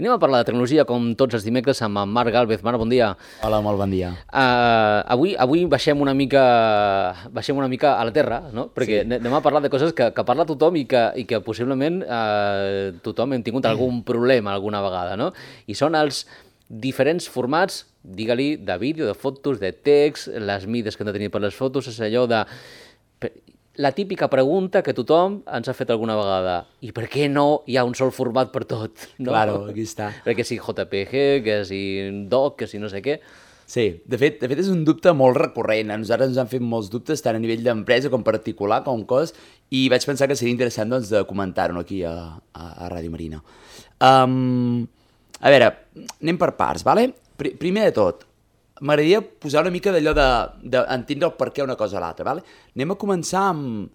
Anem a parlar de tecnologia com tots els dimecres amb en Marc Gálvez. Marc, bon dia. Hola, molt bon dia. Avui baixem una mica a la terra, no? Perquè anem a parlar de coses que parla tothom i que possiblement tothom hem tingut algun problema alguna vegada, no? I són els diferents formats, digue-li, de vídeo, de fotos, de text, les mides que hem de tenir per les fotos, és allò de... La típica pregunta que tothom ens ha fet alguna vegada. I per què no hi ha un sol format per tot? No? Claro, aquí està. Perquè si JPG, que si doc, que si no sé què... Sí, de fet és un dubte molt recurrent. A nosaltres ens han fet molts dubtes, tant a nivell d'empresa com particular, com cos, i vaig pensar que seria interessant doncs, de comentar-ho aquí a Ràdio Marina. A veure, anem per parts, vale? Primer de tot, m'agradaria posar una mica d'allò d'entendre el per què una cosa a l'altra, vale? Anem a començar amb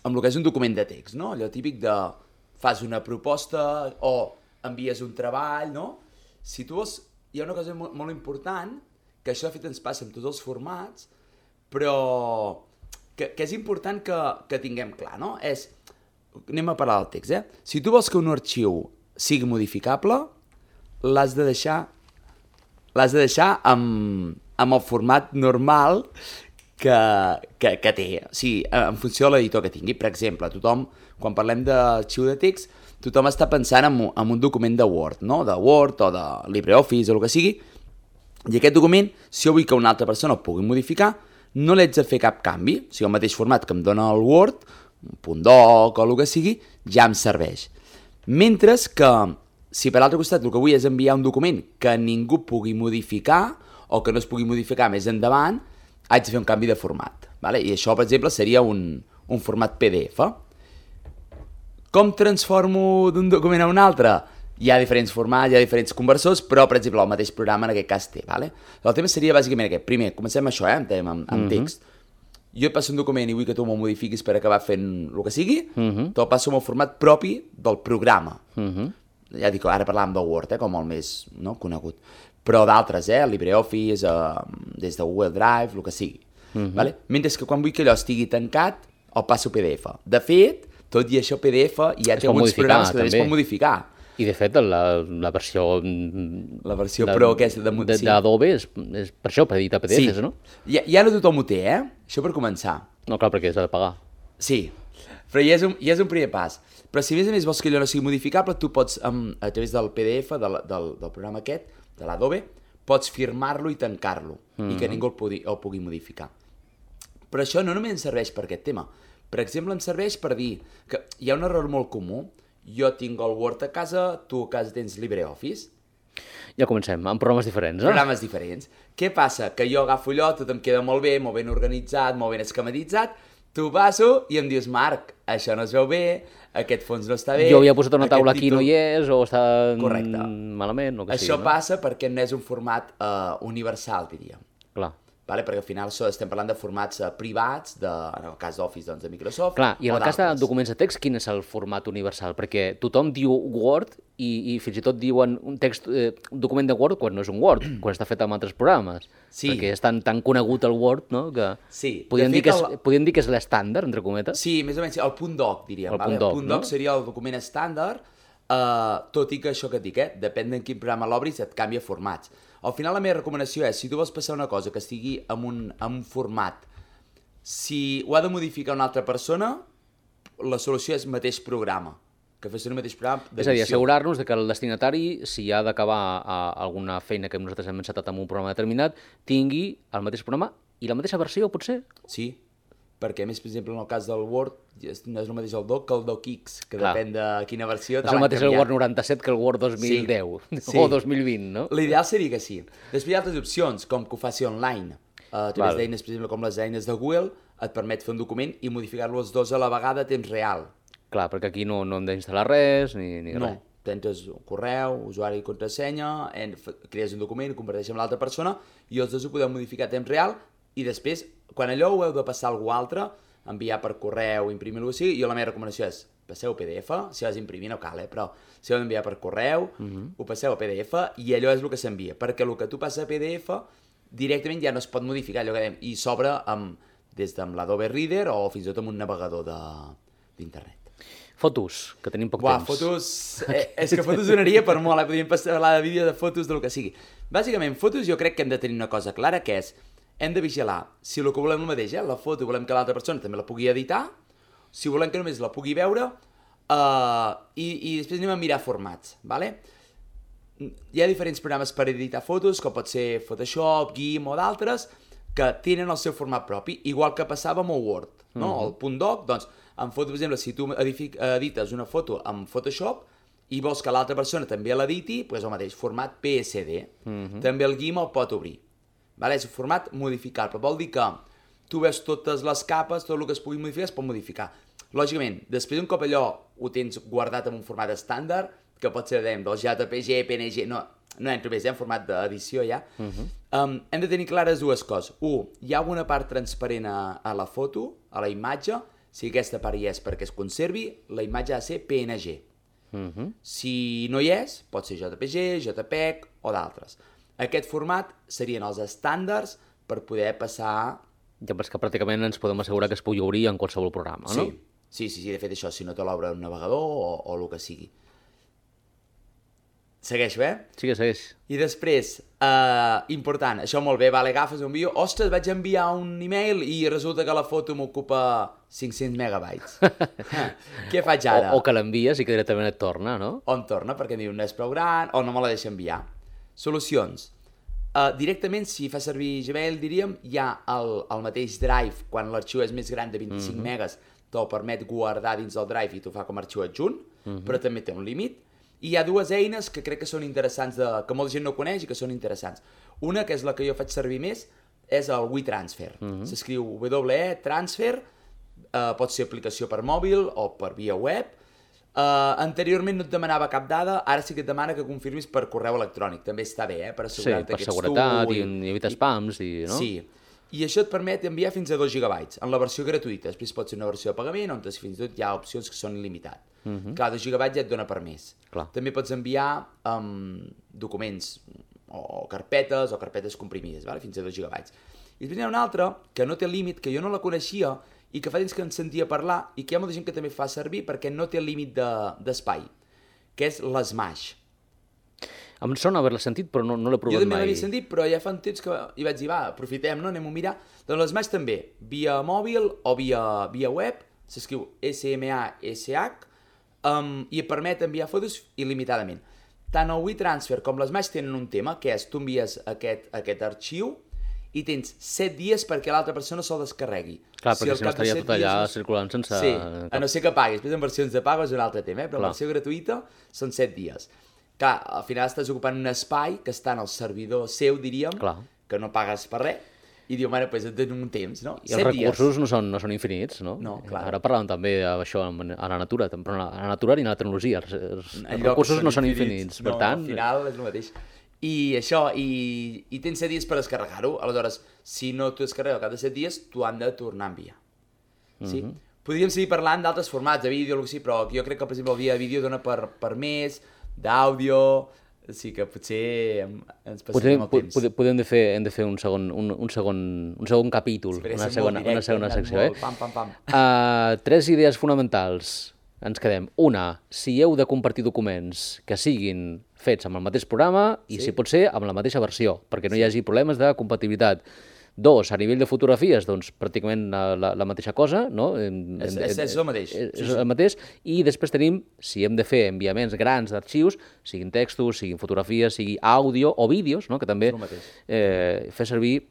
el que és un document de text, no? Allò típic de fas una proposta o envies un treball, no? Si tu vols, hi ha una cosa molt important, que això de fet ens passa amb tots els formats, però que és important que tinguem clar, no? Anem a parlar del text, Si tu vols que un arxiu sigui modificable, l'has de deixar amb el format normal que té, o sigui, en funció de l'editor que tingui. Per exemple, tothom, quan parlem d'arxiu de text, tothom està pensant en un document de Word, no? De Word o de LibreOffice o el que sigui, i aquest document, si jo vull que una altra persona el pugui modificar, no l'haig de fer cap canvi, o sigui, el mateix format que em dona el Word, un .doc o el que sigui, ja em serveix. Mentre que, si per l'altre costat el que vull és enviar un document que ningú pugui modificar o que no es pugui modificar més endavant, haig de fer un canvi de format. Vale? I això, per exemple, seria un format PDF. Com transformo d'un document a un altre? Hi ha diferents formats, hi ha diferents conversors, però, per exemple, el mateix programa en aquest cas té. Vale? El tema seria bàsicament aquest. Primer, comencem amb això, amb text. Jo et passo un document i vull que tu me'l modifiquis per acabar fent el que sigui, te'l passo amb el format propi del programa. Ja dic, ara parlàvem del Word, com el més conegut, però d'altres, LibreOffice, des de Google Drive, el que sigui. Vale? Mentre que quan vull que allò estigui tancat, el passo PDF. De fet, tot i això PDF ja té alguns programes que també es pot modificar. I de fet, la versió... La versió Pro aquesta d'Adobe és per això, per editar PDFs, no? Ja no tothom ho té, Això per començar. No, clar, perquè s'ha de pagar. Sí, però ja és un primer pas. Però si a més vols que allò no sigui modificable, tu pots, a través del PDF, del programa aquest, de l'Adobe, pots firmar-lo i tancar-lo, i que ningú el pugui modificar. Però això no només ens serveix per aquest tema. Per exemple, ens serveix per dir que hi ha un error molt comú. Jo tinc el Word a casa, tu a casa tens LibreOffice. Ja comencem, amb programes diferents, Programes diferents. Què passa? Que jo agafo allò, tot em queda molt ben organitzat, molt ben esquematitzat, tu passo i em dius, Marc, això no es veu bé, aquest fons no està bé... Jo havia posat una taula aquí, no hi és, o està malament, o que sigui. Això passa perquè no és un format universal, diríem. Clar. Vale? Perquè al final estem parlant de formats privats, en el cas d'Office, doncs, de Microsoft. Clar, i en el cas de documents de text, quin és el format universal? Perquè tothom diu Word i fins i tot diuen un document de Word quan no és un Word, quan està fet amb altres programes. Sí. Perquè és tan conegut el Word, no?, que sí. podríem dir que és l'estàndard, entre cometes. Sí, més o menys, el .doc, diríem. El .doc seria el document estàndard, tot i que això que et dic, depèn de quin programa l'obris, et canvia formats. Al final la meva recomanació és, si tu vols passar una cosa que estigui en un format, si ho ha de modificar una altra persona, la solució és el mateix programa, que fes el mateix programa d'edició. És a dir, assegurar-nos que el destinatari, si ha d'acabar alguna feina que nosaltres hem encetat en un programa determinat, tingui el mateix programa i la mateixa versió, potser? Sí, perquè a més, per exemple, en el cas del Word, no és el mateix el doc que el docx, que depèn de quina versió és el mateix el Word 97 que el Word 2010 o 2020, no? L'ideal seria que sí. Després hi ha altres opcions, com que ho faci online. A través d'eines, per exemple, com les eines de Google, et permet fer un document i modificar-lo els dos a la vegada a temps real. Clar, perquè aquí no hem d'instal·lar res ni res. No, tens un correu, usuari i contrasenya, crees un document, ho converteixes amb l'altra persona i els dos ho podeu modificar a temps real i després, quan allò ho heu de passar a algú altre, enviar per correu, imprimir-lo així, jo la meva recomanació és passeu a PDF, si has d'imprimir no cal, però si heu d'enviar per correu, ho passeu a PDF i allò és el que s'envia, perquè el que tu passes a PDF directament ja no es pot modificar, allò que dèiem, i s'obre des de l'Adobe Reader o fins i tot amb un navegador d'internet. Fotos, que tenim poc Buah, temps. fotos... és que fotos donaria per molt, podríem parlar de vídeo de fotos, del que sigui. Bàsicament, fotos jo crec que hem de tenir una cosa clara, que és, hem de vigilar si el que volem el mateix, la foto, volem que l'altra persona també la pugui editar, si volem que només la pugui veure, i després anem a mirar formats, ¿vale? Hi ha diferents programes per editar fotos, com pot ser Photoshop, GIMP o d'altres, que tenen el seu format propi, igual que passava amb el Word, no? El .doc, doncs, en foto, per exemple, si tu edites una foto amb Photoshop i vols que l'altra persona també l'editi, doncs el mateix, format PSD. També el GIMP el pot obrir. Vale? És un format modificable, vol dir que tu veus totes les capes, tot el que es pugui modificar es pot modificar. Lògicament, després un cop allò ho tens guardat en un format estàndard, que pot ser, dèiem, del JPG, PNG, no entro més, en format d'edició ja, hem de tenir clares dues coses. Hi ha alguna part transparent a la foto, a la imatge, si aquesta part hi és perquè es conservi, la imatge ha de ser PNG. Si no hi és, pot ser JPG, JPEG o d'altres. Aquest format serien els estàndards per poder passar... Ja, però és que pràcticament ens podem assegurar que es pugui obrir en qualsevol programa, no? Sí, de fet això, si no te l'obre un navegador o el que sigui. Segueixo, Segueix. I després, important, això molt bé, vale, agafes un vídeo, ostres, vaig enviar un email i resulta que la foto m'ocupa 500 megabytes. Què faig ara? O que l'envies i que directament et torna, no? O em torna perquè em diu no és prou gran o no me la deixa enviar. Solucions. Directament, si fa servir Gmail, diríem, hi ha el mateix Drive, quan l'arxiu és més gran de 25 megas, te'l permet guardar dins del Drive i t'ho fa com a arxiu adjunt, però també té un límit. I hi ha dues eines que crec que són interessants, que molta gent no coneix i que són interessants. Una, que és la que jo faig servir més, és el WeTransfer. S'escriu WeTransfer, pot ser aplicació per mòbil o per via web. Anteriorment no et demanava cap dada, ara sí que et demana que confirmis per correu electrònic. També està bé, per assegurar-te que ets tu. Sí, per seguretat i evitar spams, no? Sí. I això et permet enviar fins a 2 gigabytes, en la versió gratuïta. Després pot ser una versió de pagament, on fins i tot hi ha opcions que són il·limitat. Clar, 2 gigabytes ja et dona per més. També pots enviar documents o carpetes comprimides, vale? Fins a 2 gigabytes. I després hi ha una altra que no té límit, que jo no la coneixia i que fa temps que en sentia parlar i que hi ha molta gent que també fa servir perquè no té límit d'espai, que és l'Smash. Em sona haver-la sentit, però no l'he provat mai. Jo també l'havia sentit, però ja fa un temps que hi vaig dir, va, aprofitem, no? Anem a mirar. Doncs l'Smash també, via mòbil o via web, s'escriu SMASH, i et permet enviar fotos il·limitadament. Tant el WeTransfer com l'Smash tenen un tema, que és tu envies aquest arxiu i tens 7 dies perquè l'altra persona se'l descarregui. Clar, perquè si no estaria tot allà circulant sense... Sí, a no ser que paguis. Després en versions de pago és un altre tema, però en versió gratuïta són 7 dies. Clar, al final estàs ocupant un espai que està en el servidor seu, diríem, que no pagues per res, i diu, bueno, doncs et dono un temps, no? I els recursos no són infinits, no? No, clar. Ara parlàvem també d'això a la natura, però a la natura i a la tecnologia. Els recursos no són infinits, per tant... No, al final és el mateix. I això, i tens 7 dies per descarregar-ho, aleshores, si no t'ho descarregues al cap de 7 dies, t'ho han de tornar a enviar. Sí? Podríem seguir parlant d'altres formats, de vídeo, o el que sigui, però jo crec que, per exemple, el via de vídeo dona per més, d'àudio, sí que potser ens passarem el temps. Hem de fer un segon capítol, una segona secció. Pam. 3 idees fonamentals. Ens quedem. Una, si heu de compartir documents que siguin fets amb el mateix programa i, si pot ser, amb la mateixa versió, perquè no hi hagi problemes de compatibilitat. 2, a nivell de fotografies, doncs pràcticament la mateixa cosa, no? És el mateix. És el mateix. I després tenim, si hem de fer enviaments grans d'arxius, siguin textos, siguin fotografies, sigui àudio o vídeos, no? Que també fer servir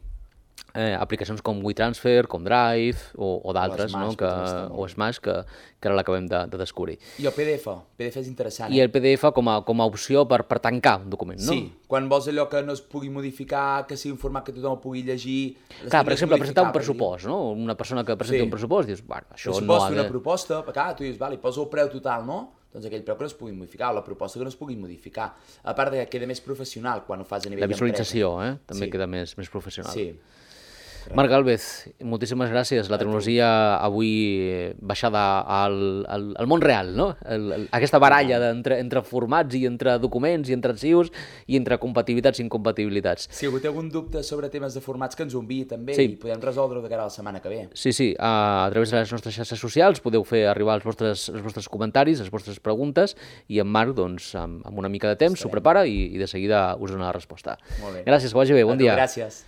aplicacions com WeTransfer, com Drive o d'altres, no? O Smash, que ara l'acabem de descobrir. I el PDF és interessant. I el PDF com a opció per tancar un document, no? Sí, quan vols allò que no es pugui modificar, que sigui un format que tothom pugui llegir... Clar, per exemple, presentar un pressupost, no? Una persona que presenta un pressupost, dius, bueno, això no ha de... Una proposta, clar, tu dius, vale, posa el preu total, no? Doncs aquell preu que no es pugui modificar, o la proposta que no es pugui modificar. A part que queda més professional quan ho fas a nivell d'empresa. La visualització, també queda més professional. Sí. Marc Gálvez, moltíssimes gràcies. La tecnologia avui baixada al món real, no? Aquesta baralla entre formats i entre documents i entre arxius i entre compatibilitats i incompatibilitats. Si algú té algun dubte sobre temes de formats, que ens ho enviï també i podem resoldre-ho de cara a la setmana que ve. Sí, a través de les nostres xarxes socials podeu fer arribar els vostres comentaris, les vostres preguntes, i en Marc, doncs, amb una mica de temps, s'ho prepara i de seguida us dona la resposta. Molt bé. Gràcies, que vagi bé, bon dia. Gràcies.